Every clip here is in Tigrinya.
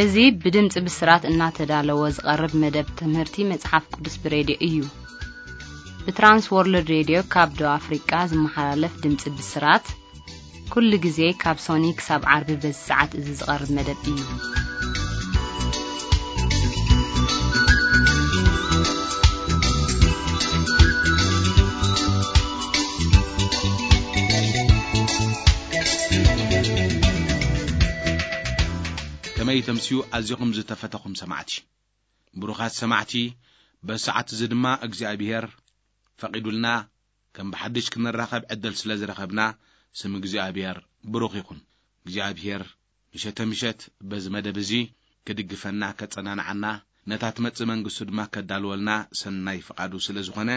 እዚ ብድምፂ ብስራት እናተዳለወ ዝቐርብ መደብ ትምህርቲ መጽሓፍ ቅዱስ ብሬድዮ እዩ። ብትራንስ ወርልድ ሬድዮ ካብ ደቡብ ኣፍሪቃ ዝመሓላለፍ ድምፂ ብስራት፣ ኩሉ ግዜ ካብ ሶኒ ክሳብ ዓርቢ በዚ ሰዓት እዚ ዝቐርብ መደብ እዩ። ከመይ ተምስዩ ኣዚኹም ዝተፈተኹም ሰማዕቲ። ብሩኻት ሰማዕቲ፣ በዚ ሰዓት እዚ ድማ እግዚኣብሔር ፈቒዱልና ከም ብሓድሽ ክንራኸብ ዕድል ስለ ዝረኸብና ስም እግዚኣብሔር ብሩኽ ይኹን። እግዚኣብሔር ምሸተ ምሸት በዚ መደብ እዚ ክድግፈና፣ ከጸናንዓና፣ ነታ ትመጽእ መንግስቱ ድማ ከዳልወልና ሰናይ ፍቓዱ ስለ ዝኾነ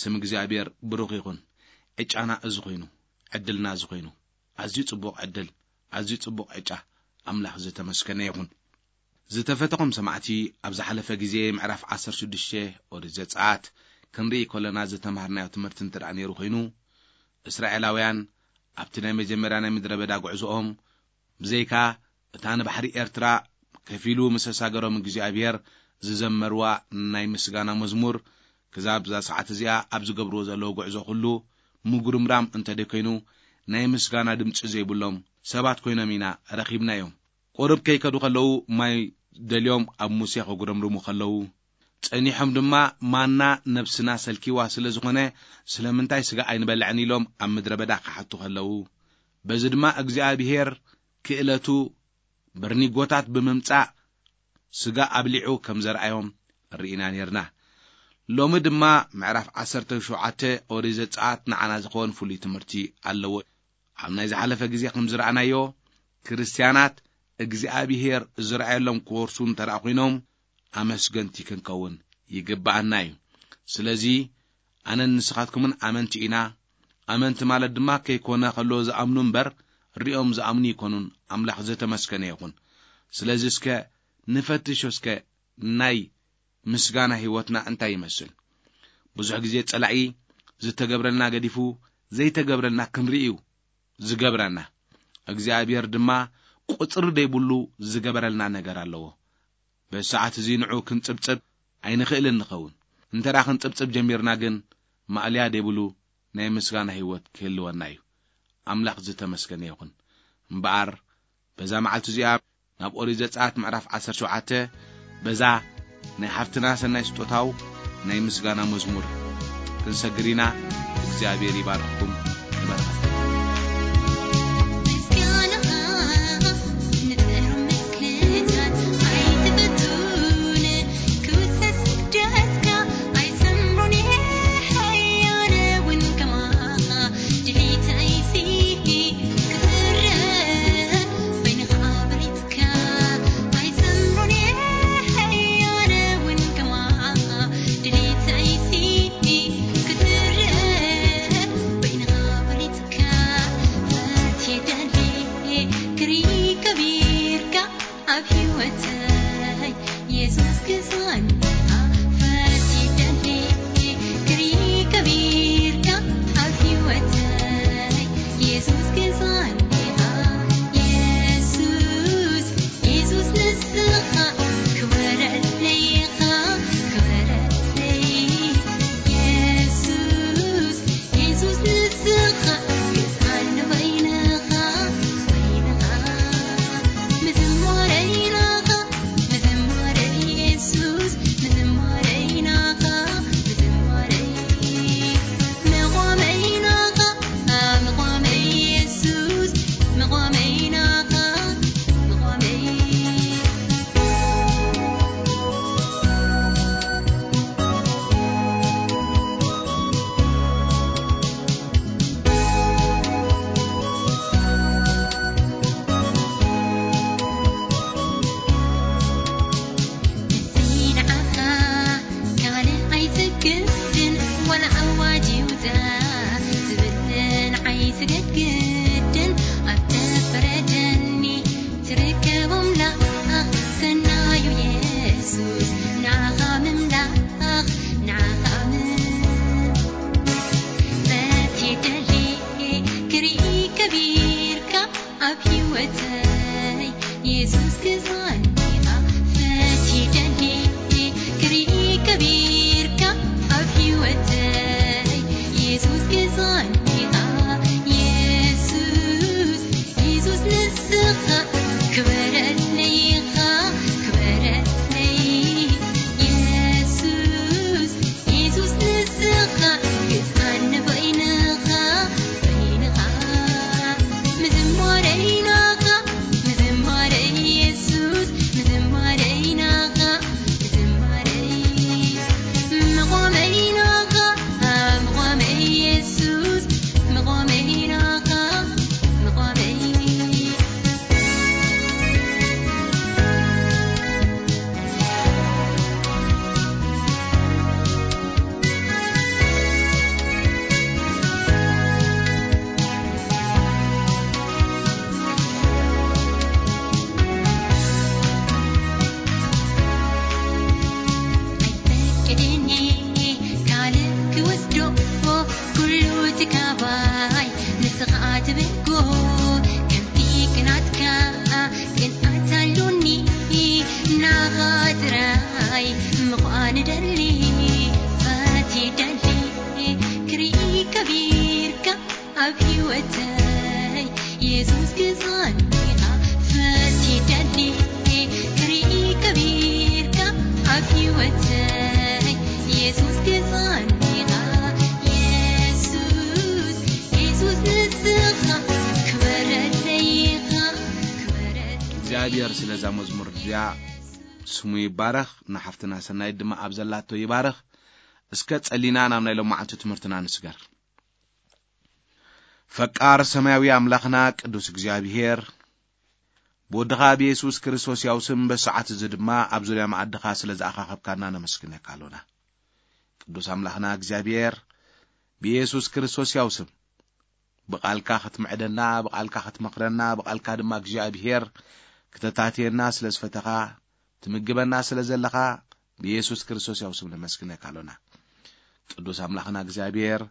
ስም እግዚኣብሔር ብሩኽ ይኹን። ዕጫና እዚ ኮይኑ፣ ዕድልና እዚ ኮይኑ፣ ኣዝዩ ጽቡቕ ዕድል፣ ኣዝዩ ጽቡቕ ዕጫ። ኣምላኽ ዝተመስገነ ይኹን። ዝተፈተኹም ሰማዕቲ፣ ኣብ ዝሓለፈ ግዜ ምዕራፍ ዓሰርተ ሽዱሽተ ኦሪት ዘጸኣት ክንርኢ ከለና ዝተማሃርናዮ ትምህርቲ እንተ ደኣ ነይሩ ኮይኑ፣ እስራኤላውያን ኣብቲ ናይ መጀመርያ ናይ ምድረ በዳ ጉዕዞኦም፣ ብዘይካ እታ ንባሕሪ ኤርትራ ከፊሉ ምስ ኣሳገሮም እግዚኣብሔር ዝዘመርዋ ናይ ምስጋና መዝሙር፣ ክዛብ እዛ ሰዓት እዚኣ ኣብ ዝገብርዎ ዘለዉ ጉዕዞ ኩሉ ምጉርምራም እንተ ደይኮይኑ፣ ናይ ምስጋና ድምጺ ዘይብሎም ሰባት ኮይኖም ኢና ረኺብናዮም። ቁሩብ ከይከዱ ከለዉ ማይ ደልዮም ኣብ ሙሴ ከጉረምርሙ ከለዉ፣ ጸኒሖም ድማ ማና ነብስና ሰልኪዋ ስለ ዝኾነ ስለምንታይ ስጋ ኣይንበልዕን ኢሎም ኣብ ምድረ በዳ ክሓቱ ከለዉ፣ በዚ ድማ እግዚኣብሄር ክእለቱ በርኒጎታት ብምምጻእ ስጋ ኣብሊዑ ከም ዘርኣዮም ርኢና ኔርና። ሎሚ ድማ ምዕራፍ ዓሰርተ ሸውዓተ ኦሪት ዘጸኣት ንዓና ዝኸውን ፍሉይ ትምህርቲ ኣለዎ። ኣብ ናይ ዝሓለፈ ግዜ ከም ዝረኣናዮ፣ ክርስትያናት እግዚኣብሄር ዝረኣየሎም ክወርሱ እንተ ደኣ ኮይኖም፣ ኣመስገንቲ ክንከውን ይግብኣና እዩ። ስለዚ ኣነን ንስኻትኩምን ኣመንቲ ኢና። ኣመንቲ ማለት ድማ ከይኮነ ከሎ ዝኣምኑ እምበር፣ ሪኦም ዝኣምኑ ይኮኑን። ኣምላኽ ዝተመስገነ ይኹን። ስለዚ እስከ ንፈትሾ እስከ ናይ ምስጋና ህይወትና እንታይ ይመስል? ብዙሕ ግዜ ጸላኢ ዝተገብረልና ገዲፉ ዘይተገብረልና ክንርኢ እዩ ዝገብረና። እግዚኣብሔር ድማ ቁጽሪ ዘይብሉ ዝገበረልና ነገር ኣለዎ። በዚ ሰዓት እዚ ንዑ ክንጽብጽብ ኣይንኽእልን ንኸውን። እንተ ደኣ ክንጽብጽብ ጀሚርና ግን ማእለያ ዘይብሉ ናይ ምስጋና ህይወት ክህልወና እዩ። ኣምላኽ ዝተመስገነ ይኹን። እምበኣር በዛ መዓልቲ እዚኣ ናብ ኦሪት ዘጸኣት ምዕራፍ ዓሰርተ ሸውዓተ በዛ ናይ ሓፍትና ሰናይ ስጦታው ናይ ምስጋና መዝሙር ክንሰግር ኢና። እግዚኣብሔር ይባርኽኩም፣ ይባርኸኩም። ግዛኒ ኢኻ የሱስ፣ የሱስ ንስኻ ክበረለይ ኢኻ፣ ክበረለይ የሱስ፣ የሱስ ንስኻ ግዛኒ በይንኻ፣ በይንኻ ምዝማረይ ናኻ፣ ምዝማረይ የሱስ፣ ምዝማረይ ናኻ፣ ምዝማረይ ምቖመይ ናኻ፣ ምቖመይ የሱስ፣ ምቖመይ ናኻ፣ ምቖመይ። ኣይፈቅድን ካልእ ክወስዶ ኩሉ ትካባይ ንስኻ ትብጎ ከምቲ ቅናትካ ቅንኣት ኣሉኒ ናኻ ጥራይ ምዃን ደሊ ፈትየ ደሊ ክርኢ ከቢርካ ኣብ ህይወተይ የሱስ ግዛኒኻ ፈትየ ደሊ ክርኢ ከቢርካ ኣብ ህይወተይ የሱስ ግዛኒኻ የሱስ የሱስ ንስኻ ክበረለይ ኢኻ ክበረለይ እግዚኣብሔር ስለዛ መዝሙር እዚኣ ስሙ ይባረኽ። ንሓፍትና ሰናይት ድማ ኣብ ዘላቶ ይባረኽ። እስከ ጸሊና ናብ ናይ ሎማዓንቲ ትምህርትና ንስገር። ፈቃር ሰማያዊ ኣምላኽና ቅዱስ እግዚኣብሔር፣ ብወድኻ ብየሱስ ክርስቶስ ያው ስም በሰዓት እዚ ድማ ኣብ ዙርያ መኣድኻ ስለ ዝኣኻኸብካና ነመስግነካ ኣሎና። ቅዱስ ኣምላኽና እግዚኣብሔር፣ ብየሱስ ክርስቶስ ያው ስም ብቓልካ ክትምዕደና፣ ብቓልካ ክትመኽረና፣ ብቓልካ ድማ እግዚኣብሔር ክተታትየና ስለ ዝፈተኻ፣ ትምግበና ስለ ዘለኻ፣ ብየሱስ ክርስቶስ ያው ስም ነመስግነካ ኣሎና። ቅዱስ ኣምላኽና እግዚኣብሔር፣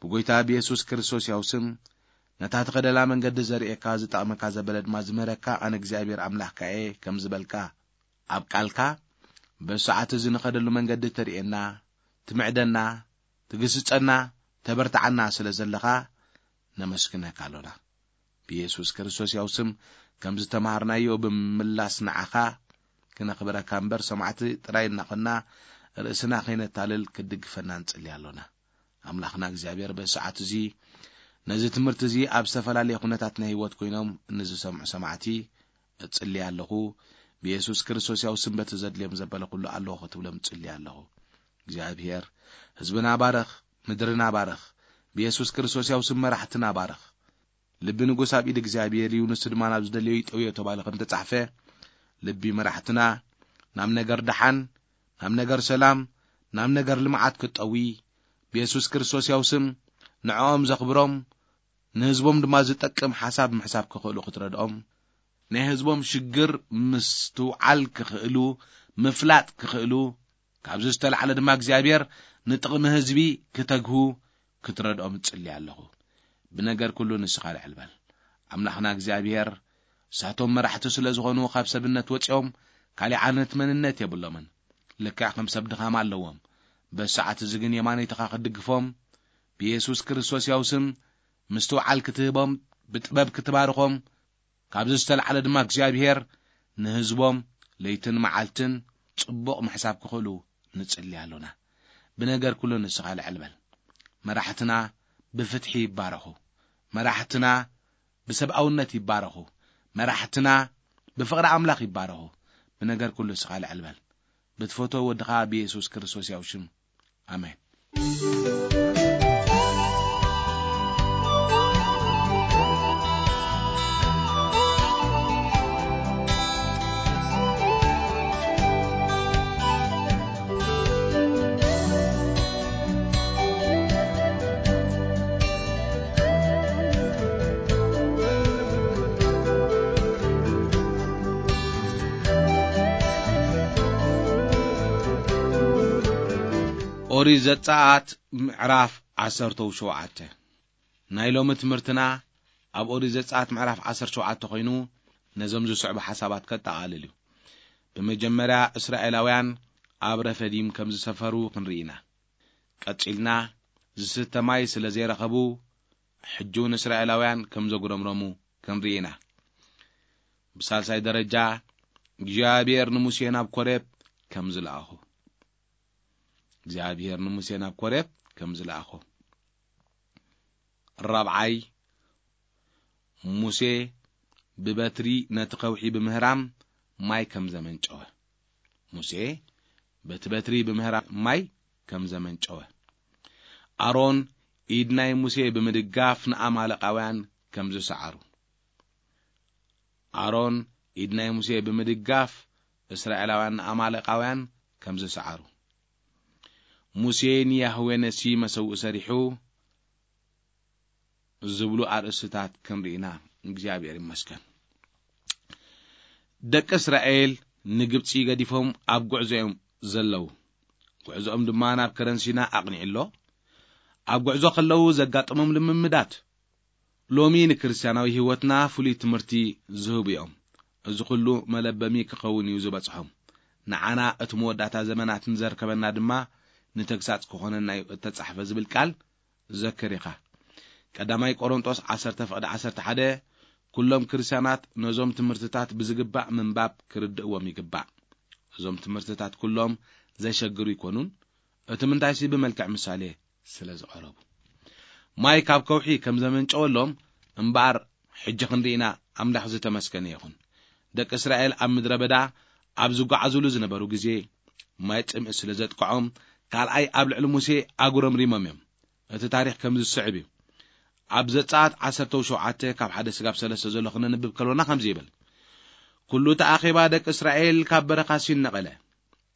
ብጎይታ ብየሱስ ክርስቶስ ያው ስም ነታ ትኸደላ መንገዲ ዘርእየካ፣ ዝጠቕመካ ዘበለ ድማ ዝምህረካ ኣነ እግዚኣብሔር ኣምላኽካ እየ ከም ዝበልካ፣ ኣብ ቃልካ በዚ ሰዓት እዚ ንኸደሉ መንገዲ ተርእየና፣ ትምዕደና፣ ትግስጸና፣ ተበርትዓና ስለ ዘለኻ ነመስግነካ ኣሎና። ብየሱስ ክርስቶስ ያው ስም ከም ዝተማሃርናዮ ብምምላስ ንዓኻ ክነኽብረካ እምበር ሰማዕቲ ጥራይ እናኾንና ርእስና ከይነታልል ክትድግፈና ንጽሊ ኣሎና። ኣምላኽና እግዚኣብሔር በዚ ሰዓት እዚ ነዚ ትምህርቲ እዚ ኣብ ዝተፈላለየ ኩነታት ናይ ህይወት ኮይኖም ንዝሰምዑ ሰማዕቲ እጽሊ ኣለኹ። ብየሱስ ክርስቶስ ያው ስም በቲ ዘድልዮም ዘበለ ኩሉ ኣለኹ ክትብሎም እጽሊ ኣለኹ። እግዚኣብሔር ህዝብና ባረኽ፣ ምድርና ባረኽ። ብየሱስ ክርስቶስ ያው ስም መራሕትና ባረኽ። ልቢ ንጉስ ኣብ ኢድ እግዚኣብሔር እዩ፣ ንሱ ድማ ናብ ዝደልዮ ይጠውዮ ተባሂሉ ከም ተጻሕፈ፣ ልቢ መራሕትና ናብ ነገር ደሓን፣ ናብ ነገር ሰላም፣ ናብ ነገር ልምዓት ክጠዊ፣ ብየሱስ ክርስቶስ ያው ስም ንዕኦም ዘኽብሮም፣ ንህዝቦም ድማ ዝጠቅም ሓሳብ ምሕሳብ ክኽእሉ ክትረድኦም፣ ናይ ህዝቦም ሽግር ምስትውዓል ክኽእሉ፣ ምፍላጥ ክኽእሉ፣ ካብዚ ዝተላዕለ ድማ እግዚኣብሔር ንጥቕሚ ህዝቢ ክተግሁ ክትረድኦም እጽሊ ኣለኹ። ብነገር ኩሉ ንስኻ ልዕል በል። ኣምላኽና እግዚኣብሔር፣ እሳቶም መራሕቲ ስለ ዝኾኑ ካብ ሰብነት ወጺኦም ካሊእ ዓይነት መንነት የብሎምን። ልክዕ ከም ሰብ ድኻም ኣለዎም። በዚ ሰዓት እዚ ግን የማነይትኻ ክትድግፎም፣ ብየሱስ ክርስቶስ ያው ስም ምስትውዓል ክትህቦም፣ ብጥበብ ክትባርኾም፣ ካብዚ ዝተላዕለ ድማ እግዚኣብሔር ንህዝቦም ለይትን መዓልትን ጽቡቕ ምሕሳብ ክኽእሉ ንጽሊ ኣሎና። ብነገር ኩሉ ንስኻ ልዕል በል። መራሕትና ብፍትሒ ይባረኹ። መራሕትና ብሰብኣውነት ይባረኹ። መራሕትና ብፍቕሪ ኣምላኽ ይባረኹ። ብነገር ኩሉ ንስኻ ልዕል በል። ብትፈትዎ ወድኻ ብየሱስ ክርስቶስ ያው ሽም። ኣሜን። ኦሪት ዘጸኣት ምዕራፍ ዓሰርተው ሸውዓተ። ናይ ሎሚ ትምህርትና ኣብ ኦሪት ዘጸኣት ምዕራፍ ዓሰርተ ሸውዓተ ኮይኑ፣ ነዞም ዝስዕቡ ሓሳባት ከጠቓልል እዩ። ብመጀመርያ እስራኤላውያን ኣብ ረፈዲም ከም ዝሰፈሩ ክንርኢ ኢና። ቀጺልና ዝስተ ማይ ስለ ዘይረኸቡ፣ ሕጂ እውን እስራኤላውያን ከም ዘጉረምረሙ ክንርኢ ኢና። ብሳልሳይ ደረጃ፣ እግዚኣብሔር ንሙሴ ናብ ኮሬብ ከም ዝለኣኾ። እግዚኣብሔር ንሙሴ ናብ ኮሬብ ከም ዝለኣኾ። ራብዓይ፣ ሙሴ ብበትሪ ነቲ ከውሒ ብምህራም ማይ ከም ዘመንጨወ። ሙሴ በቲ በትሪ ብምህራም ማይ ከም ዘመንጨወ። ኣሮን ኢድ ናይ ሙሴ ብምድጋፍ ንኣማለቃውያን ከም ዝሰዓሩ። ኣሮን ኢድ ናይ ሙሴ ብምድጋፍ እስራኤላውያን ንኣማለቃውያን ከም ዝሰዓሩ። ሙሴ ንያህዌ ነሲ መሰውእ ሰሪሑ ዝብሉ ኣርእስትታት ክንርኢና። እግዚኣብሔር ይመስገን። ደቂ እስራኤል ንግብፂ ገዲፎም ኣብ ጉዕዞ እዮም ዘለዉ። ጉዕዞኦም ድማ ናብ ከረን ሲና ኣቕኒዑ ኣሎ። ኣብ ጉዕዞ ከለዉ ዘጋጠሞም ልምምዳት ሎሚ ንክርስትያናዊ ህይወትና ፍሉይ ትምህርቲ ዝህቡ እዮም። እዚ ኩሉ መለበሚ ክኸውን እዩ ዝበጽሖም። ንዓና እቲ መወዳእታ ዘመናት ንዘርከበና ድማ ንተግሳጽ ክኾነና እዩ እተጻሕፈ ዝብል ቃል ዘክር ኢኻ። ቀዳማይ ቆሮንጦስ ዓሰርተ ፍቕዲ ዓሰርተ ሓደ፣ ኩሎም ክርስትያናት ነዞም ትምህርትታት ብዝግባእ ምንባብ ክርድእዎም ይግባእ። እዞም ትምህርትታት ኩሎም ዘሸግሩ ይኮኑን፣ እቲ ምንታይሲ ብመልክዕ ምሳሌ ስለ ዝቐረቡ። ማይ ካብ ከውሒ ከም ዘመንጨወሎም እምበኣር ሕጂ ክንርኢና ኣምላኽ ዝተመስገነ ይኹን። ደቂ እስራኤል ኣብ ምድረ በዳ ኣብ ዝጓዓዙሉ ዝነበሩ ግዜ ማይ ጽምኢ ስለ ዘጥቅዖም ካልኣይ ኣብ ልዕሊ ሙሴ ኣጉረምሪሞም እዮም። እቲ ታሪኽ ከም ዝስዕብ እዩ። ኣብ ዘጸኣት ዓሰርተ ሸውዓተ ካብ ሓደ ስጋብ ሰለስተ ዘሎ ክነንብብ ከሎና ከምዚ ይብል። ኩሉ እቲ ኣኼባ ደቂ እስራኤል ካብ በረኻ ሲን ነቐለ።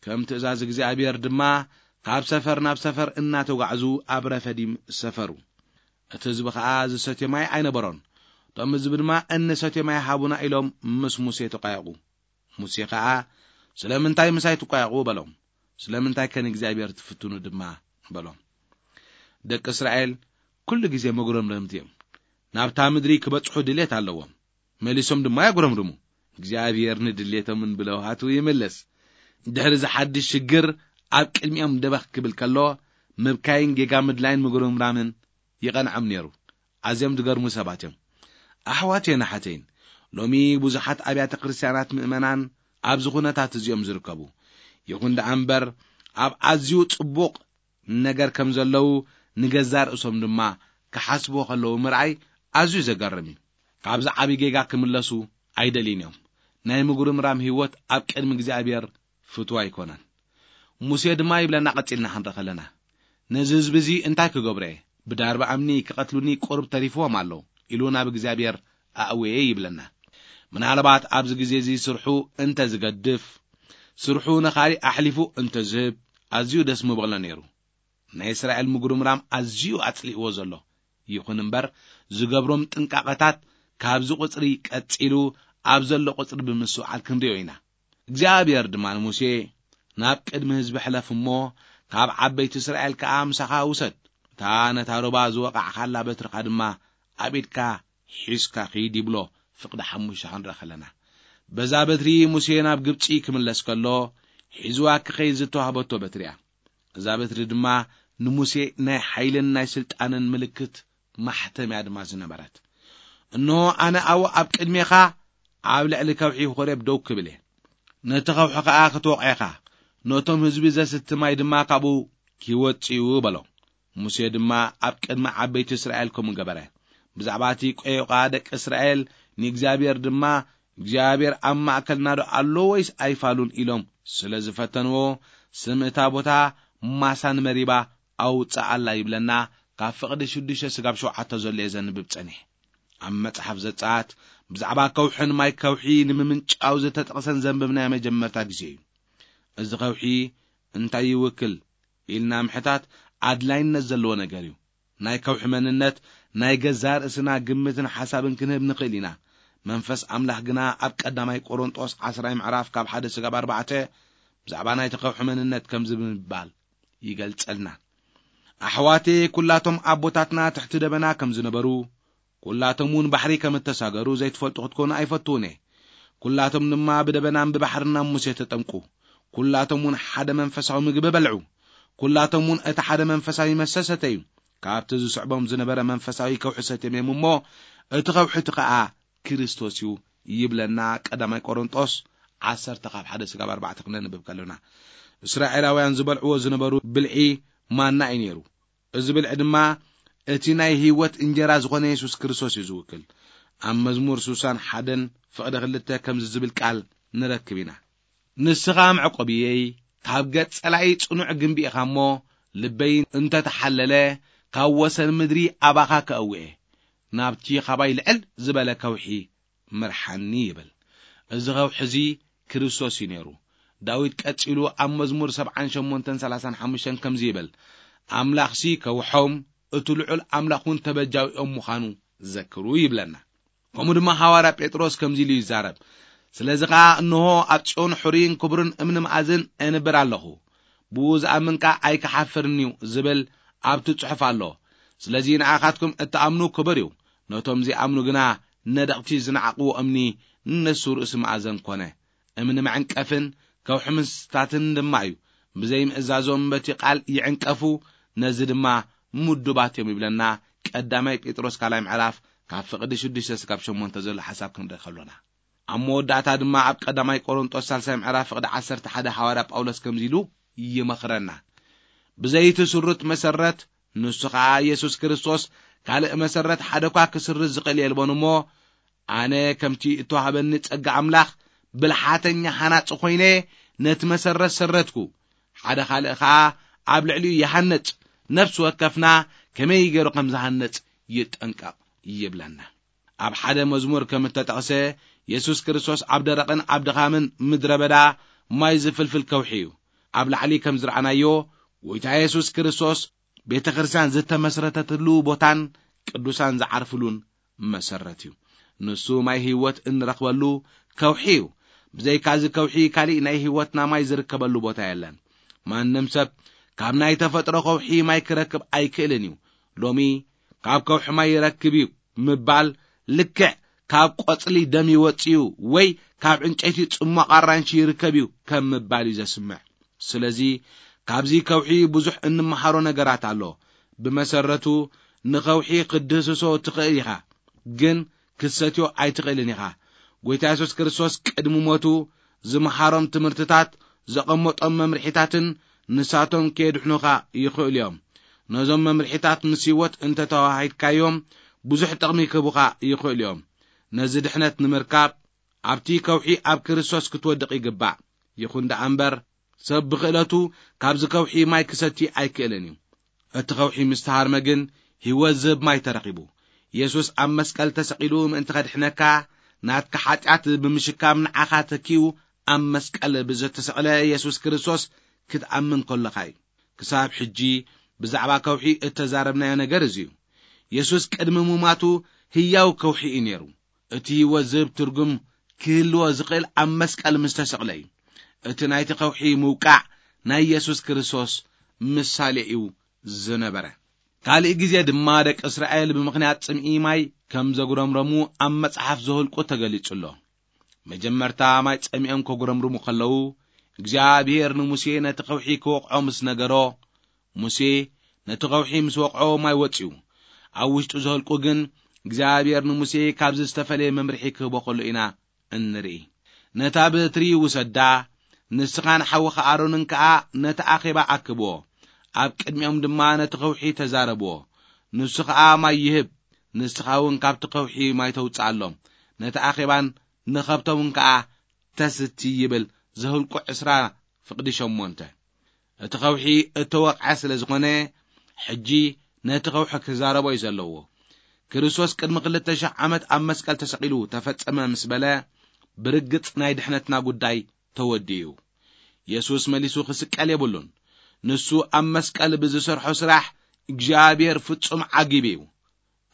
ከም ትእዛዝ እግዚኣብሔር ድማ ካብ ሰፈር ናብ ሰፈር እናተጓዕዙ ኣብ ረፈዲም ሰፈሩ። እቲ ህዝቢ ኸኣ ዝሰትዮ ማይ ኣይነበሮን። እቶም ህዝቢ ድማ እንሰትዮ ማይ ሃቡና ኢሎም ምስ ሙሴ ተቋየቑ። ሙሴ ኸኣ ስለምንታይ ምሳይ ትቋየቑ በሎም። ስለምንታይ ከን እግዚኣብሔር ትፍትኑ ድማ በሎም። ደቂ እስራኤል ኩሉ ግዜ መጉረምረምቲ እዮም። ናብታ ምድሪ ክበጽሑ ድሌት ኣለዎም። መሊሶም ድማ ያጉረምርሙ። እግዚኣብሔር ንድሌቶምን ብለውሃቱ ይምልስ። ድሕሪ እዚ ሓድሽ ሽግር ኣብ ቅድሚኦም ደበኽ ክብል ከሎ ምብካይን ጌጋ ምድላይን ምጉርምራምን ይቐንዖም ነይሩ። ኣዝዮም ዝገርሙ ሰባት እዮም። ኣሕዋተይን ኣሓተይን፣ ሎሚ ብዙሓት ኣብያተ ክርስትያናት ምእመናን ኣብዚ ኩነታት እዚኦም ዝርከቡ። ይኹን ደኣ እምበር ኣብ ኣዝዩ ጽቡቕ ነገር ከም ዘለዉ ንገዛእ ርእሶም ድማ ክሓስብዎ ከለዉ ምርኣይ ኣዝዩ ዘገርም እዩ። ካብዚ ዓቢ ጌጋ ክምለሱ ኣይደልዩን እዮም። ናይ ምጉርምራም ህይወት ኣብ ቅድሚ እግዚኣብሔር ፍትዋ ኣይኮነን። ሙሴ ድማ ይብለና ቀጺልና ክንርኢ ከለና፣ ነዚ ህዝቢ እዚ እንታይ ክገብሮ እየ? ብዳርባ እምኒ ክቐትሉኒ ቁሩብ ተሪፍዎም ኣሎ ኢሉ ናብ እግዚኣብሔር ኣእወየ ይብለና። ምናልባት ኣብዚ ግዜ እዚ ስርሑ እንተ ዝገድፍ፣ ስርሑ ንኻሊእ ኣሕሊፉ እንተ ዝህብ ኣዝዩ ደስ ምበሎ ነይሩ። ናይ እስራኤል ምጉርምራም ኣዝዩ ኣጽሊእዎ ዘሎ። ይኹን እምበር ዝገብሮም ጥንቃቐታት ካብዚ ቁጽሪ ቀጺሉ ኣብ ዘሎ ቁጽሪ ብምስውዓል ክንሪኦ ኢና። እግዚኣብሔር ድማ ንሙሴ ናብ ቅድሚ ህዝቢ ሕለፍ እሞ ካብ ዓበይቲ እስራኤል ከኣ ምሳኻ ውሰድ። እታ ነታ ሩባ ዝወቓዕኻላ በትርኻ ድማ ኣብ ኢድካ ሒዝካ ኺድ ይብሎ። ፍቕዲ ሓሙሽተ ክንርኢ ከለና በዛ በትሪ ሙሴ ናብ ግብጺ ክምለስ ከሎ ሒዝዋ ክኸይድ ዝተዋህበቶ በትሪ እያ። እዛ በትሪ ድማ ንሙሴ ናይ ሓይልን ናይ ስልጣንን ምልክት ማሕተም እያ ድማ ዝነበረት። እንሆ ኣነ ኣብኡ ኣብ ቅድሜኻ ኣብ ልዕሊ ከውሒ ኾሬብ ደው ክብል እየ። ነቲ ከውሒ ኸኣ ክትወቕዖ ኢኻ፣ ነቶም ህዝቢ ዘስቲ ማይ ድማ ካብኡ ኪወጽኡ በሎ። ሙሴ ድማ ኣብ ቅድሚ ዓበይቲ እስራኤል ከምኡ ገበረ። ብዛዕባ እቲ ቆዮቓ ደቂ እስራኤል ንእግዚኣብሔር ድማ እግዚኣብሔር ኣብ ማእከልና ዶ ኣሎ ወይስ ኣይፋሉን ኢሎም ስለ ዝፈተንዎ ስም እታ ቦታ ማሳን መሪባ ኣውጽኣላ ይብለና። ካብ ፍቕዲ ሽዱሽተ ስጋብ ሸውዓተ ዘሎ እየ ዘንብብ ጸኒሕ። ኣብ መጽሓፍ ዘጸኣት ብዛዕባ ከውሕን ማይ ከውሒ ንምምንጫው ዝተጠቕሰን ዘንብብናዮ መጀመርታ ግዜ እዩ። እዚ ከውሒ እንታይ ይውክል ኢልና ምሕታት ኣድላይነት ዘለዎ ነገር እዩ። ናይ ከውሒ መንነት ናይ ገዛእ ርእስና ግምትን ሓሳብን ክንህብ ንኽእል ኢና። መንፈስ ኣምላኽ ግና ኣብ ቀዳማይ ቆሮንጦስ ዓስራይ ምዕራፍ ካብ ሓደ ስጋብ ኣርባዕተ ብዛዕባ ናይቲ ከውሒ መንነት ከምዚ ብምባል ይገልጸልና። ኣሕዋቴ ኩላቶም ኣቦታትና ትሕቲ ደበና ከም ዝነበሩ፣ ኩላቶም እውን ባሕሪ ከም እተሳገሩ ዘይትፈልጡ ክትኮኑ ኣይፈትውን እየ። ኩላቶም ድማ ብደበናን ብባሕርና ሙሴ ተጠምቁ። ኩላቶም እውን ሓደ መንፈሳዊ ምግቢ በልዑ። ኩላቶም እውን እቲ ሓደ መንፈሳዊ መስተ ሰተዩ። ካብቲ ዝስዕቦም ዝነበረ መንፈሳዊ ከውሒ ሰትዮም እዮም እሞ፣ እቲ ከውሒ እቲ ኸኣ ክርስቶስ እዩ ይብለና። ቀዳማይ ቆሮንጦስ ዓሰርተ ካብ ሓደ ስጋብ ኣርባዕተ ክነንብብ ከለና፣ እስራኤላውያን ዝበልዕዎ ዝነበሩ ብልዒ ማና እዩ ነይሩ። እዚ ብልዒ ድማ እቲ ናይ ህይወት እንጀራ ዝኾነ የሱስ ክርስቶስ እዩ ዝውክል። ኣብ መዝሙር ስሳን ሓደን ፍቕዲ ክልተ ከምዚ ዝብል ቃል ንረክብ ኢና። ንስኻ መዕቆብየይ፣ ካብ ገጽ ጸላኢ ጽኑዕ ግንቢ ኢኻ እሞ፣ ልበይ እንተተሓለለ፣ ካብ ወሰን ምድሪ ኣባኻ ከእውየ፣ ናብቲ ኻባይ ልዕል ዝበለ ከውሒ ምርሓኒ ይብል። እዚ ከውሒ እዚ ክርስቶስ እዩ ነይሩ። ዳዊት ቀጺሉ ኣብ መዝሙር ሰብዓን ሸሞንተን ሰላሳን ሓሙሽተን ከምዚ ይብል፣ ኣምላኽሲ ከውሖም፣ እቲ ልዑል ኣምላኽ እውን ተበጃዊኦም ምዃኑ ዘክሩ ይብለና። ከምኡ ድማ ሃዋርያ ጴጥሮስ ከምዚ ኢሉ ይዛረብ፣ ስለዚ ኸኣ እንሆ ኣብ ጽዮን ሕሩይን ክቡርን እምኒ መኣዝን እንብር ኣለኹ፣ ብኡ ዝኣምን ከኣ ኣይክሓፍርን እዩ ዝብል ኣብቲ ጽሑፍ ኣሎ። ስለዚ ንኣኻትኩም እትኣምኑ ክቡር እዩ፣ ነቶም ዘይኣምኑ ግና ነደቕቲ ዝነዓቕዎ እምኒ ንሱ ርእሲ መኣዘን ኮነ። እምኒ መዕንቀፍን ከውሒ ምስታትን ድማ እዩ። ብዘይምእዛዞም በቲ ቃል ይዕንቀፉ፣ ነዚ ድማ ምዱባት እዮም ይብለና። ቀዳማይ ጴጥሮስ ካልኣይ ምዕራፍ ካብ ፍቕዲ ሽዱሽተ ስጋብ ሸሞንተ ዘሎ ሓሳብ ክንርኢ ከሎና፣ ኣብ መወዳእታ ድማ ኣብ ቀዳማይ ቆሮንጦስ ሳልሳይ ምዕራፍ ፍቕዲ ዓሰርተ ሓደ ሃዋርያ ጳውሎስ ከምዚ ኢሉ ይመኽረና፣ ብዘይቲ ስሩት መሰረት ንሱ ኸኣ የሱስ ክርስቶስ፣ ካልእ መሰረት ሓደ እኳ ክስርዝ ዝኽእል የልቦን እሞ፣ ኣነ ከምቲ እተዋህበኒ ጸጋ ኣምላኽ ብልሓተኛ ሃናጺ ኾይነ ነቲ መሰረት ሰረትኩ፣ ሓደ ካልእ ኸኣ ኣብ ልዕሊኡ ይሃንጽ፣ ነፍሲ ወከፍና ከመይ ገይሩ ከም ዝሃንጽ ይጠንቀቕ ይብለና። ኣብ ሓደ መዝሙር ከም እተጠቕሰ፣ የሱስ ክርስቶስ ኣብ ደረቕን ኣብ ድኻምን ምድረ በዳ ማይ ዝፍልፍል ከውሒ እዩ። ኣብ ላዕሊ ከም ዝረኣናዮ፣ ጐይታ የሱስ ክርስቶስ ቤተ ክርስቲያን ዝተመስረተትሉ ቦታን ቅዱሳን ዝዓርፍሉን መሰረት እዩ። ንሱ ማይ ህይወት እንረኽበሉ ከውሒ እዩ። ብዘይካ እዚ ከውሒ ካሊእ ናይ ህይወትና ማይ ዝርከበሉ ቦታ የለን። ማንም ሰብ ካብ ናይ ተፈጥሮ ከውሒ ማይ ክረክብ ኣይክእልን እዩ። ሎሚ ካብ ከውሒ ማይ ይረክብ እዩ ምባል ልክዕ ካብ ቆጽሊ ደም ይወጽእ እዩ ወይ ካብ ዕንጨይቲ ጽሟቕ ኣራንሺ ይርከብ እዩ ከም ምባል እዩ ዘስምዕ። ስለዚ ካብዚ ከውሒ ብዙሕ እንመሃሮ ነገራት ኣሎ። ብመሰረቱ ንኸውሒ ክትድህስሶ ትኽእል ኢኻ፣ ግን ክትሰትዮ ኣይትኽእልን ኢኻ። ጐይታ የሱስ ክርስቶስ ቅድሚ ሞቱ ዝመሃሮም ትምህርትታት፣ ዘቐመጦም መምርሒታትን ንሳቶም ከየድሕኑኻ ይኽእሉ እዮም። ነዞም መምርሒታት ምስ ህይወት እንተተዋሂድካዮም ብዙሕ ጥቕሚ ክህቡኻ ይኽእሉ እዮም። ነዚ ድሕነት ንምርካብ ኣብቲ ከውሒ ኣብ ክርስቶስ ክትወድቕ ይግባእ። ይኹን ደኣ እምበር ሰብ ብኽእለቱ ካብዚ ከውሒ ማይ ክሰቲ ኣይክእልን እዩ። እቲ ከውሒ ምስ ተሃርመ ግን ህይወት ዝህብ ማይ ተረኺቡ። የሱስ ኣብ መስቀል ተሰቒሉ ምእንቲ ከድሕነካ ናትካ ሓጢኣት ብምሽካም ንዓኻ ተኪኡ ኣብ መስቀል ብዘተሰቕለ የሱስ ክርስቶስ ክትኣምን ከለኻ እዩ። ክሳብ ሕጂ ብዛዕባ ከውሒ እተዛረብናዮ ነገር እዚ እዩ። የሱስ ቅድሚ ምማቱ ህያው ከውሒ እዩ ነይሩ። እቲ ህይወት ዝህብ ትርጉም ክህልዎ ዝኽእል ኣብ መስቀል ምስ ተሰቕለ እዩ። እቲ ናይቲ ከውሒ ምውቃዕ ናይ የሱስ ክርስቶስ ምሳሌ እዩ ዝነበረ። ካልእ ግዜ ድማ ደቂ እስራኤል ብምኽንያት ጽምኢ ማይ ከም ዘጉረምረሙ ኣብ መጽሓፍ ዘኍልቁ ተገሊጹ ኣሎ። መጀመርታ ማይ ጸሚኦም ከጉረምርሙ ከለዉ፣ እግዚኣብሔር ንሙሴ ነቲ ከውሒ ክወቕዖ ምስ ነገሮ፣ ሙሴ ነቲ ከውሒ ምስ ወቕዖ ማይ ወጺኡ። ኣብ ውሽጡ ዘኍልቁ ግን እግዚኣብሔር ንሙሴ ካብዚ ዝተፈለየ መምርሒ ክህቦ ከሎ ኢና እንርኢ። ነታ በትሪ ውሰዳ፣ ንስኻን ሓውኻ ኣሮንን ከኣ ነቲ ኣኼባ ኣክብዎ። ኣብ ቅድሚኦም ድማ ነቲ ከውሒ ተዛረብዎ። ንሱ ኸኣ ማይ ይህብ፣ ንስኻ እውን ካብቲ ከውሒ ማይ ተውጽኣሎም። ነቲ ኣኼባን ንኸብቶም ከኣ ተስቲ ይብል ዘኍልቁ ዕስራ ፍቕዲ ሸሞንተ። እቲ ከውሒ እተወቕዐ ስለ ዝኾነ፣ ሕጂ ነቲ ከውሒ ክዛረቦ እዩ ዘለዎ። ክርስቶስ ቅድሚ ክልተ ሽሕ ዓመት ኣብ መስቀል ተሰቒሉ ተፈጸመ ምስ በለ፣ ብርግጽ ናይ ድሕነትና ጉዳይ ተወዲኡ። የሱስ መሊሱ ክስቀል የብሉን። ንሱ ኣብ መስቀል ብዝሰርሖ ስራሕ እግዚኣብሔር ፍጹም ዓጊቡ እዩ።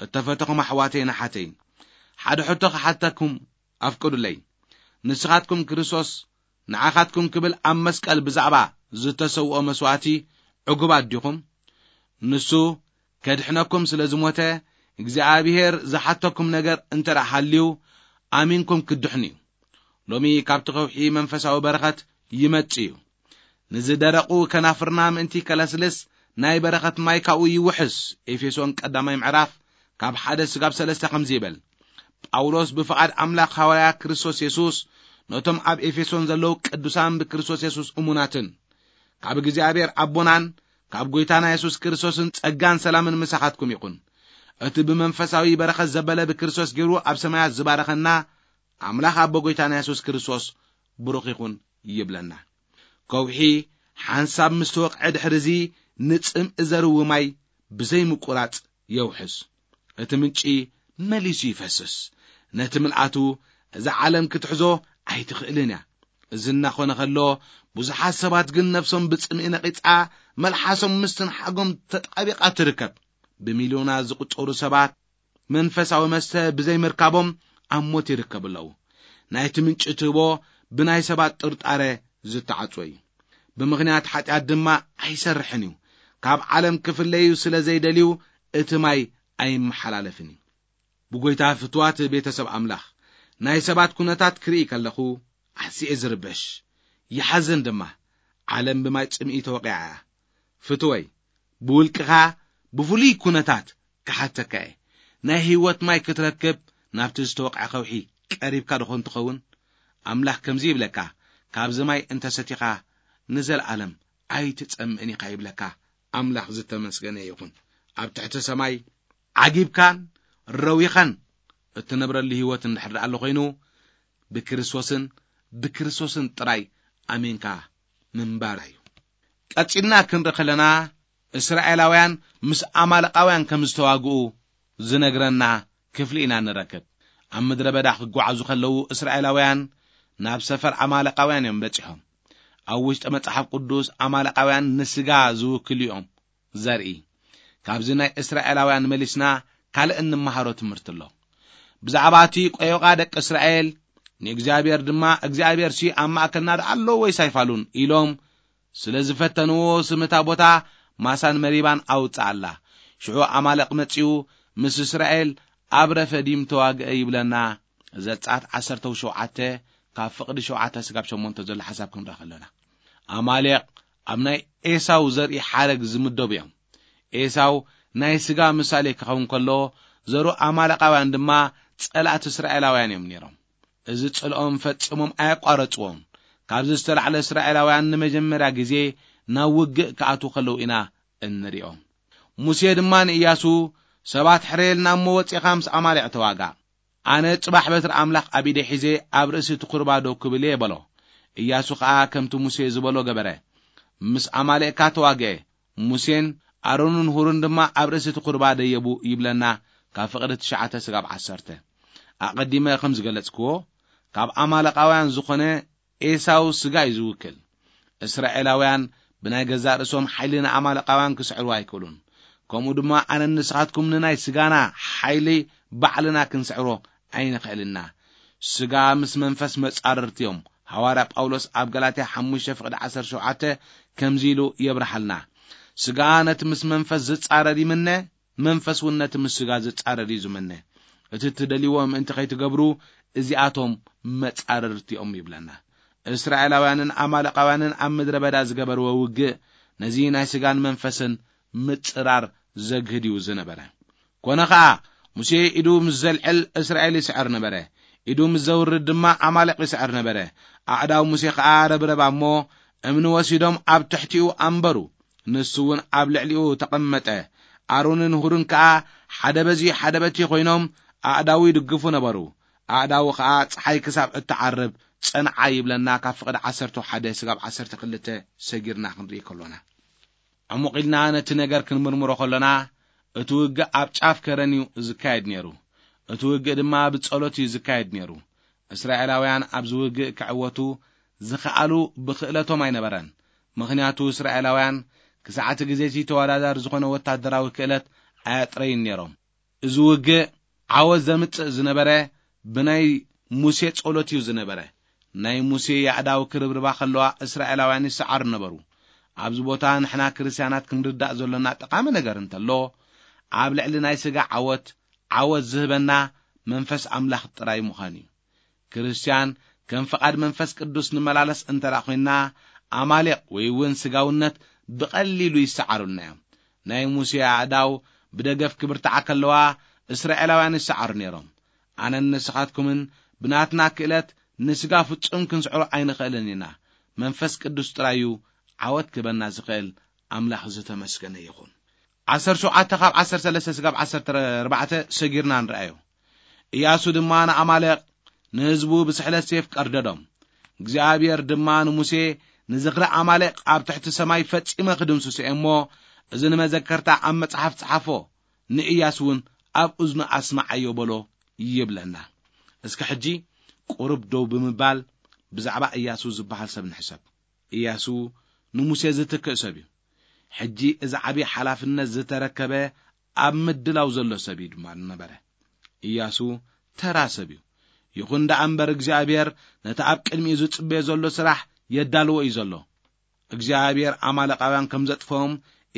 እተፈተኹም ኣሕዋተይን ኣሓተይን፣ ሓደ ሕቶ ክሓተኩም ኣፍቅዱለይ። ንስኻትኩም ክርስቶስ ንዓኻትኩም ክብል ኣብ መስቀል ብዛዕባ ዝተሰውኦ መስዋእቲ ዕጉባት ዲኹም? ንሱ ከድሕነኩም ስለ ዝሞተ፣ እግዚኣብሔር ዝሓተኩም ነገር እንተ ደኣ ሃልዩ፣ ኣሚንኩም ክትድሕኑ እዩ። ሎሚ ካብቲ ከውሒ መንፈሳዊ በረኸት ይመጽእ እዩ። ንዝደረቑ ከናፍርና ምእንቲ ከለስልስ፣ ናይ በረኸት ማይ ካብኡ ይውሕስ። ኤፌሶን ቀዳማይ ምዕራፍ ካብ ሓደ ስጋብ ሰለስተ ከምዚ ይብል። ጳውሎስ ብፍቓድ ኣምላኽ ሃዋርያ ክርስቶስ የሱስ ነቶም ኣብ ኤፌሶን ዘለዉ ቅዱሳን ብክርስቶስ የሱስ እሙናትን ካብ እግዚኣብሔር ኣቦናን ካብ ጐይታና የሱስ ክርስቶስን ጸጋን ሰላምን ምሳኻትኩም ይኹን። እቲ ብመንፈሳዊ በረኸት ዘበለ ብክርስቶስ ገይሩ ኣብ ሰማያት ዝባረኸና ኣምላኽ ኣቦ ጐይታና የሱስ ክርስቶስ ብሩኽ ይኹን ይብለና። ከውሒ ሓንሳብ ምስ ተወቕዐ ድሕርዚ ንጽምኢ ዘርዊ ማይ ብዘይ ምቁራጽ የውሕስ። እቲ ምንጪ መሊሱ ይፈስስ። ነቲ ምልኣቱ እዛ ዓለም ክትሕዞ ኣይትኽእልን እያ። እዚ እናኾነ ከሎ ብዙሓት ሰባት ግን ነፍሶም ብጽምኢ ነቒጻ መልሓሶም ምስትንሓጎም ተጣቢቓ ትርከብ። ብሚልዮናት ዝቑጸሩ ሰባት መንፈሳዊ መስተ ብዘይ ምርካቦም ኣብ ሞት ይርከቡ ኣለዉ። ናይቲ ምንጪ ትህቦ ብናይ ሰባት ጥርጣረ ዝተዓጽወ እዩ። ብምኽንያት ሓጢኣት ድማ ኣይሰርሕን እዩ። ካብ ዓለም ክፍለዩ ስለ ዘይደልዩ እቲ ማይ ኣይመሓላለፍን እዩ። ብጎይታ ፍትዋት ቤተሰብ ኣምላኽ ናይ ሰባት ኩነታት ክርኢ ከለኹ ኣስኤ ዝርበሽ ይሓዘን ድማ። ዓለም ብማይ ጽምኢ ተወቂዓ እያ። ፍትወይ ብውልቅኻ ብፍሉይ ኩነታት ክሓተካ እየ። ናይ ህይወት ማይ ክትረክብ ናብቲ ዝተወቅዐ ከውሒ ቀሪብካ ድኾን ትኸውን? ኣምላኽ ከምዚ ይብለካ፣ ካብዚ ማይ እንተሰቲኻ ንዘለኣለም ኣይትጸምእን ኢኻ ይብለካ። ኣምላኽ ዝተመስገነ ይኹን። ኣብ ትሕቲ ሰማይ ዓጊብካን ረዊኻን እትነብረሉ ህይወት እንድሕር ደኣ ኣሎ ኮይኑ፣ ብክርስቶስን ብክርስቶስን ጥራይ ኣሜንካ ምንባር እዩ። ቀጺልና ክንርኢ ከለና፣ እስራኤላውያን ምስ ኣማለቃውያን ከም ዝተዋግኡ ዝነግረና ክፍሊ ኢና ንረክብ። ኣብ ምድረ በዳ ክጓዓዙ ከለዉ፣ እስራኤላውያን ናብ ሰፈር ኣማለቃውያን እዮም በጺሖም። ኣብ ውሽጢ መጽሓፍ ቅዱስ ኣማለቃውያን ንስጋ ዝውክሉ እዮም ዘርኢ። ካብዚ ናይ እስራኤላውያን መሊስና ካልእ እንመሃሮ ትምህርቲ ኣሎ። ብዛዕባ እቲ ቆዮቓ ደቂ እስራኤል፣ ንእግዚኣብሔር ድማ፣ "እግዚኣብሔር ሲ ኣብ ማእከልና ደኣ ኣሎ ወይስ ኣይፋሉን?" ኢሎም ስለ ዝፈተንዎ፣ ስም እታ ቦታ ማሳን መሪባን ኣውጽኣላ። ሽዑ ኣማለቕ መጺኡ ምስ እስራኤል ኣብ ረፈዲም ተዋግአ ይብለና። ዘጸኣት ዓሰርተ ሸውዓተ ካብ ፍቕዲ ሸውዓተ ስጋብ ሸሞንተ ዘሎ ሓሳብ ክንርኢ ከለና፣ ኣማሌቕ ኣብ ናይ ኤሳው ዘርኢ ሓረግ ዝምደቡ እዮም። ኤሳው ናይ ስጋ ምሳሌ ክኸውን ከሎ፣ ዘሩ ኣማለቃውያን ድማ ጸላእቲ እስራኤላውያን እዮም ነይሮም። እዚ ጽልኦም ፈጺሞም ኣየቋረጽዎን። ካብዚ ዝተላዕለ እስራኤላውያን ንመጀመርያ ግዜ ናብ ውግእ ክኣትዉ ከለዉ ኢና እንሪኦም። ሙሴ ድማ ንእያሱ፣ "ሰባት ሕረየልና እሞ ወጺኻ ምስ ኣማሌቕ ተዋጋእ። ኣነ ጽባሕ በትሪ ኣምላኽ ኣብ ኢደይ ሒዘ ኣብ ርእሲ እቲ ኩርባ ደው ክብል እየ" በሎ። እያሱ ኸኣ ከምቲ ሙሴ ዝበሎ ገበረ። ምስ ኣማሌቕካ ተዋግአ። ሙሴን ኣሮንን ሁርን ድማ ኣብ ርእሲ እቲ ቁርባ ደየቡ ይብለና፣ ካብ ፍቕዲ ትሽዓተ ስጋብ ዓሰርተ። ኣቐዲመ ከም ዝገለጽክዎ፣ ካብ ኣማለቃውያን ዝኾነ ኤሳው ስጋ እዩ ዝውክል። እስራኤላውያን ብናይ ገዛእ ርእሶም ሓይሊ ንኣማለቃውያን ክስዕሩ ኣይክእሉን። ከምኡ ድማ ኣነን ንስኻትኩም ንናይ ስጋና ሓይሊ ባዕልና ክንስዕሮ ኣይንኽእልና። ስጋ ምስ መንፈስ መጻርርቲ እዮም። ሃዋርያ ጳውሎስ ኣብ ገላትያ ሓሙሽተ ፍቕዲ ዓሰርተ ሸውዓተ ከምዚ ኢሉ የብርሃልና፣ "ስጋ ነቲ ምስ መንፈስ ዝጻረር ይምነ፣ መንፈስ እውን ነቲ ምስ ስጋ ዝጻረር እዩ ዝምነ። እቲ እትደልይዎ ምእንቲ ከይትገብሩ፣ እዚኣቶም መጻርርቲ እዮም" ይብለና። እስራኤላውያንን ኣማለቃውያንን ኣብ ምድረ በዳ ዝገበርዎ ውግእ፣ ነዚ ናይ ስጋን መንፈስን ምጽራር ዘግህድ እዩ ዝነበረ። ኮነ ኸኣ፣ ሙሴ ኢዱ ምስ ዘልዕል እስራኤል ይስዕር ነበረ፣ ኢዱ ምስ ዘውርድ ድማ ኣማሌቕ ይስዕር ነበረ። ኣእዳው ሙሴ ኸኣ ረብረባ እሞ፣ እምኒ ወሲዶም ኣብ ትሕቲኡ ኣንበሩ። ንሱ እውን ኣብ ልዕሊኡ ተቐመጠ። ኣሮንን ሁርን ከኣ ሓደ በዚ ሓደ በቲ ኮይኖም ኣእዳዉ ይድግፉ ነበሩ። ኣእዳዉ ኸኣ ጸሓይ ክሳብ እትዓርብ ጸንዓ ይብለና፣ ካብ ፍቕዲ ዓሰርተ ሓደ ስጋብ ዓሰርተ ክልተ ሰጊርና ክንርኢ ከሎና። ዕሙቕ ኢልና ነቲ ነገር ክንምርምሮ ከሎና፣ እቲ ውግእ ኣብ ጫፍ ከረን እዩ ዝካየድ ነይሩ። እቲ ውግእ ድማ ብጸሎት እዩ ዝካየድ ነይሩ። እስራኤላውያን ኣብዚ ውግእ ክዕወቱ ዝኸኣሉ ብኽእለቶም ኣይነበረን። ምኽንያቱ እስራኤላውያን ክሳዕ እቲ ግዜ እቲ ተወዳዳሪ ዝኾነ ወታደራዊ ክእለት ኣያጥረዩን ነይሮም። እዚ ውግእ ዓወት ዘምጽእ ዝነበረ ብናይ ሙሴ ጸሎት እዩ ዝነበረ። ናይ ሙሴ የኣእዳው ክርብርባ ከለዋ እስራኤላውያን ይሰዓሩ ነበሩ። ኣብዚ ቦታ ንሕና ክርስትያናት ክንርዳእ ዘሎና ጠቓሚ ነገር እንተሎ፣ ኣብ ልዕሊ ናይ ስጋ ዓወት፣ ዓወት ዝህበና መንፈስ ኣምላኽ ጥራይ ምዃን እዩ። ክርስትያን ከም ፍቓድ መንፈስ ቅዱስ ንመላለስ እንተ ደኣ ኮይንና፣ ኣማሌቕ ወይ እውን ስጋውነት ብቐሊሉ ይሰዓሩልና እዮም። ናይ ሙሴ ኣእዳው ብደገፍ ክብርትዓ ከለዋ፣ እስራኤላውያን ይሰዓሩ ነይሮም። ኣነን ንስኻትኩምን ብናትና ክእለት ንስጋ ፍጹም ክንስዕሮ ኣይንኽእልን ኢና። መንፈስ ቅዱስ ጥራይ እዩ ዓወት ክበና ዝኽእል። ኣምላኽ ዝተመስገነ ይኹን። ዓሰርተ ሸውዓተ ካብ ዓሰርተ ሰለስተ ስጋብ ዓሰርተ ኣርባዕተ ሰጊርና ንርኣዮ። ኢያሱ ድማ ንኣማሌቕ ንህዝቡ ብስሕለት ሴፍ ቀርደዶም። እግዚኣብሔር ድማ ንሙሴ፣ "ንዝኽሪ ኣማሌቕ ኣብ ትሕቲ ሰማይ ፈጺመ ክድምስሶ እየ እሞ፣ እዚ ንመዘከርታ ኣብ መጽሓፍ ጸሓፎ፣ ንኢያሱ እውን ኣብ እዝኑ ኣስምዓዮ" በሎ ይብለና። እስከ ሕጂ ቁሩብ ደው ብምባል ብዛዕባ ኢያሱ ዝበሃል ሰብ ንሕሰብ። ኢያሱ ንሙሴ ዝትክእ ሰብ እዩ። ሕጂ እዚ ዓቢ ሓላፍነት ዝተረከበ ኣብ ምድላው ዘሎ ሰብ እዩ ድማ ነበረ። ኢያሱ ተራ ሰብ እዩ። ይኹን ደኣ እምበር እግዚኣብሔር ነቲ ኣብ ቅድሚኡ ዝጽበዮ ዘሎ ስራሕ የዳልዎ እዩ ዘሎ። እግዚኣብሔር ኣማሌቃውያን ከም ዘጥፍኦም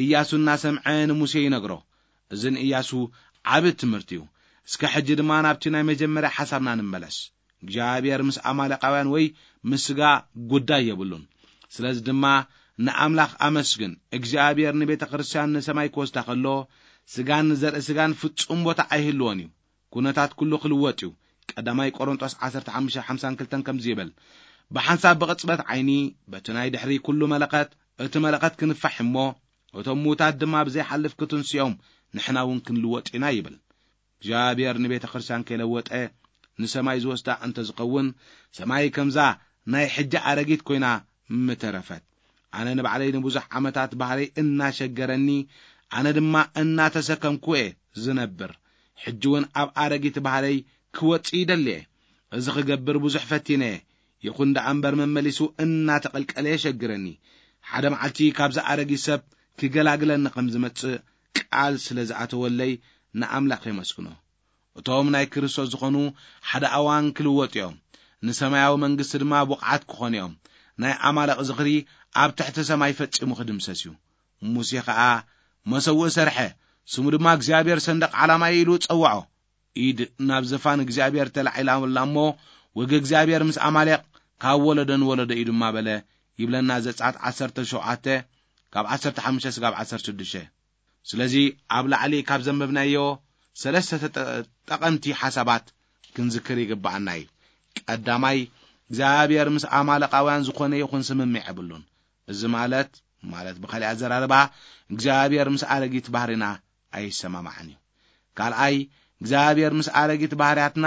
ኢያሱ እናሰምዐ ንሙሴ ይነግሮ። እዚ ንኢያሱ ዓቢ ትምህርቲ እዩ። እስከ ሕጂ ድማ ናብቲ ናይ መጀመርያ ሓሳብና ንመለስ። እግዚኣብሔር ምስ ኣማሌቃውያን ወይ ምስ ስጋ ጉዳይ የብሉን። ስለዚ ድማ ንኣምላኽ ኣመስግን። እግዚኣብሔር ንቤተ ክርስቲያን ንሰማይ ክወስዳ ከሎ፣ ስጋን ዘርኢ ስጋን ፍጹም ቦታ ኣይህልዎን እዩ። ኩነታት ኩሉ ክልወጥ እዩ። ቀዳማይ ቆሮንጦስ ዓሰርተ ሓሙሽተ ሓምሳን ክልተን ከምዚ ይብል፣ "ብሓንሳብ ብቕጽበት ዓይኒ በቲ ናይ ድሕሪ ኩሉ መለኸት፣ እቲ መለኸት ክንፋሕ እሞ፣ እቶም ምዉታት ድማ ብዘይሓልፍ ክትንስኦም፣ ንሕና እውን ክንልወጥ ኢና" ይብል። እግዚኣብሔር ንቤተ ክርስቲያን ከይለወጠ ንሰማይ ዝወስዳ እንተ ዝኸውን፣ ሰማይ ከምዛ ናይ ሕጂ ኣረጊት ኮይና ምተረፈት። ኣነ ንባዕለይ ንብዙሕ ዓመታት ባህረይ እናሸገረኒ፣ ኣነ ድማ እናተሰከምኩ እየ ዝነብር። ሕጂ እውን ኣብ ኣረጊት ባህረይ ክወጽእ ይደሊ እየ። እዚ ክገብር ብዙሕ ፈቲነ እየ። ይኹን ደኣ እምበር መመሊሱ እናተቐልቀለ የሸግረኒ። ሓደ መዓልቲ ካብዚ ኣረጊት ሰብ ክገላግለኒ ከም ዝመጽእ ቃል ስለ ዝኣተወለይ ንኣምላኽ የመስግኖ። እቶም ናይ ክርስቶስ ዝኾኑ ሓደ ኣዋን ክልወጡ እዮም። ንሰማያዊ መንግስቲ ድማ ብቑዓት ክኾኑ እዮም። ናይ ኣማለቕ ዝኽሪ ኣብ ትሕቲ ሰማይ ፈጺሙ ክድምሰስ እዩ። ሙሴ ኸኣ መሰውእ ሰርሐ፣ ስሙ ድማ እግዚኣብሔር ሰንደቕ ዓላማ ኢሉ ጸውዖ። ኢድ ናብ ዝፋን እግዚኣብሔር ተላዒላ እሞ፣ ወግ እግዚኣብሔር ምስ ኣማሌቕ ካብ ወለዶ ንወለዶ እዩ ድማ በለ ይብለና ዘጸኣት ዓሰርተ ሸውዓተ ካብ ዓሰርተ ሓሙሽተ ስጋብ ዓሰርተ ሽዱሽተ። ስለዚ ኣብ ላዕሊ ካብ ዘንበብናዮ ሰለስተ ተጠ-፣ ጠቐምቲ ሓሳባት ክንዝክር ይግብኣና እዩ። ቀዳማይ፣ እግዚኣብሔር ምስ ኣማለቃውያን ዝኾነ ይኹን ስምምዕ የብሉን። እዚ ማለት፣ ማለት ብኻልእ ኣዘራርባ፣ እግዚኣብሔር ምስ ኣረጊት ባህሪና ኣይሰማማዕን እዩ። ካልኣይ፣ እግዚኣብሔር ምስ ኣረጊት ባህርያትና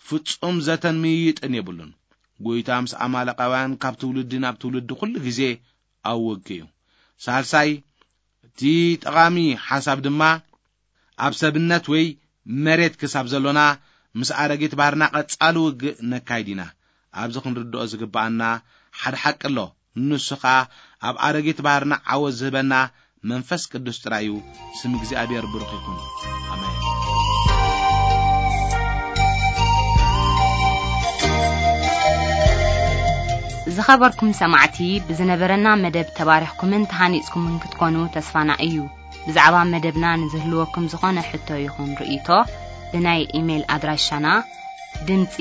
ፍጹም ዘተን ምይይጥን የብሉን። ጎይታ ምስ ኣማለቃውያን ካብ ትውልዲ ናብ ትውልዲ ኩሉ ግዜ ኣብ ውግእ እዩ። ሳልሳይ፣ እቲ ጠቓሚ ሓሳብ ድማ፣ ኣብ ሰብነት ወይ መሬት ክሳብ ዘሎና፣ ምስ ኣረጊት ባህርና ቀጻሊ ውግእ ነካይድ ኢና። ኣብዚ ክንርድኦ ዝግብኣና ሓደ ሓቂ ኣሎ። ንሱ ኸኣ ኣብ ኣረጊት ባህርና ዓወት ዝህበና መንፈስ ቅዱስ ጥራይ እዩ። ስም እግዚኣብሔር ብሩኽ ይኹን። ኣሜን። ዝኸበርኩም ሰማዕቲ፣ ብዝነበረና መደብ ተባሪኽኩምን ተሃኒጽኩምን ክትኮኑ ተስፋና እዩ። ብዛዕባ መደብና ንዝህልወኩም ዝኾነ ሕቶ ይኹን ርእይቶ፣ ብናይ ኢሜይል ኣድራሻና ድምጺ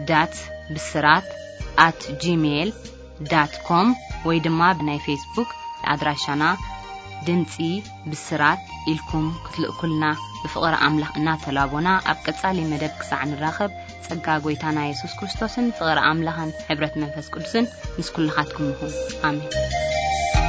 ዳት ብስራት ኣት ጂሜይል ዳት ኮም ወይ ድማ ብናይ ፌስቡክ ኣድራሻና ድምጺ ብስራት ኢልኩም ክትልእኩልና ብፍቕሪ ኣምላኽ እናተላቦና፣ ኣብ ቀጻሊ መደብ ክሳዕ ንራኸብ፣ ጸጋ ጎይታና የሱስ ክርስቶስን ፍቕሪ ኣምላኽን ሕብረት መንፈስ ቅዱስን ምስ ኩልኻትኩም ይኹን። ኣሜን።